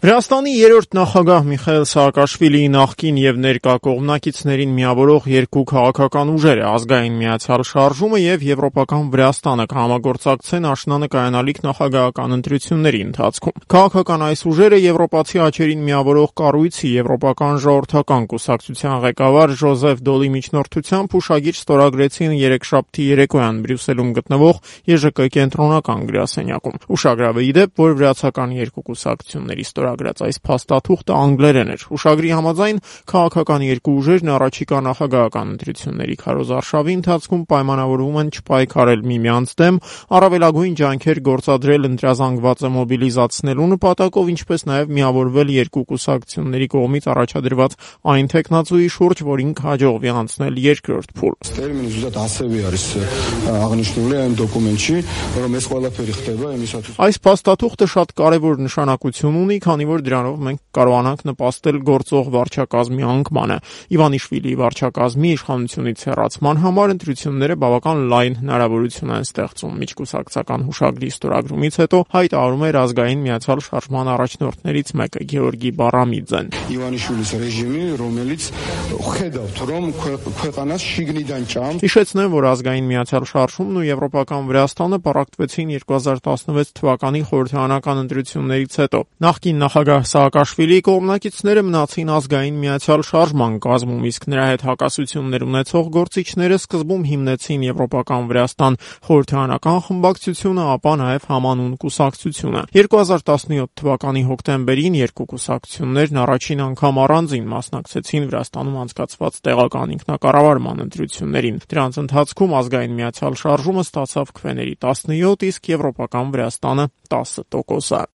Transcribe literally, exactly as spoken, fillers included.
Վրաստանի երրորդ նախագահ Միխայիլ Սաակաշվիլիի նախկին եւ ներկա կողմնակիցներին միավորող երկու քաղաքական ուժերը՝ Ազգային միացյալ շարժումը եւ Եվրոպական Վրաստանը կհամագործակցեն աշնանը կայանալիք նախագահական ընտրությունների ընթացքում։ Քաղաքական այս ուժերը եվրոպացի աչերին միավորող կառույցի Եվրոպական ժողովրդական կուսակցության ղեկավար Ժոզեֆ Դոլի միջնորդությամբ հուշագիր ստորագրեցին երեքշաբթի երեկոյան Բրյուսելում գտնվող Ե Ժ Կ կենտրոնական գրասենյակում։ Ուշագրավ է ի դեպ, որ վրացական երկու կուսակցությունների ստորագրած այս փաստաթուղթը անգլերեն էր։ Ուշագրի համաձայն քաղաքական երկու ուժերն առաջիկա նախագահական ընտրությունների քարոզարշավի ընթացքում պայմանավորվում են չպայքարել միմյանց դեմ, առավելագույն ջանքեր գործադրել ընտրազանգվածը մոբիլիզացնելու նպատակով, ինչպես նաև միավորվել երկու կուսակցությունների կողմից առաջադրված այն թեկնածուի շուրջ, որին կհաջողվի անցնել երկրորդ փուլ։ Տերմինը զուտ ասեւի არის աղնիշնուլի այն դոկումենտի, որը մեզ ყველაფერი խտեვა է։ Այս փաստաթուղթը շատ կարևոր նշանակություն ունի, քանի որ դրանով մենք կարողանանք նպաստել գործող վարչակազմի անկմանը։ Իվանիշվիլիի վարչակազմի իշխանությունից հեռացման համար ընտրությունները բավական լայն հնարավորություն են ստեղծում։ Միջկուսակցական հուշագրի ստորագրումից հետո հայտարարում էր Ազգային միացյալ շարժման առաջնորդներից մեկը Գեորգի Բարամիձեն։ Իվանիշվիլիս ռեժիմի ռոմելից ხედավ թրոմ քեկանաց շիգնիդան ճամ։ Հիշեցնեմ, որ Ազգային միացյալ շարժումն ու Եվրոպական Վրաստանը պառակտվեցին երկու հազար տասնվեց թվականի խորհրդարանական ընտրություններից հետո։ Նախկին նախագահ Սաակաշվիլիի կողմնակիցները մնացին Ազգային միացյալ շարժման կազմում, իսկ նրա հետ հակասություններ ունեցող գործիչները սկզբում հիմնեցին Եվրոպական Վրաստան խորհրդարանական խմբակցությունը, ապա նաև համանուն կուսակցությունը։ երկու հազար տասնյոթ թվականի հոկտեմբերին երկու կուսակցություններն առաջին անգամ առանձին մասնակցեցին Վրաստանում անցկացված տեղական ինքնակառավարման ընտրություններին։ Դրանց ընթացքում Ազգային միացյալ շարժումը ստացավ քվեների տասնյոթ, իսկ Եվրոպական Վրաստանը տասը տոկոս։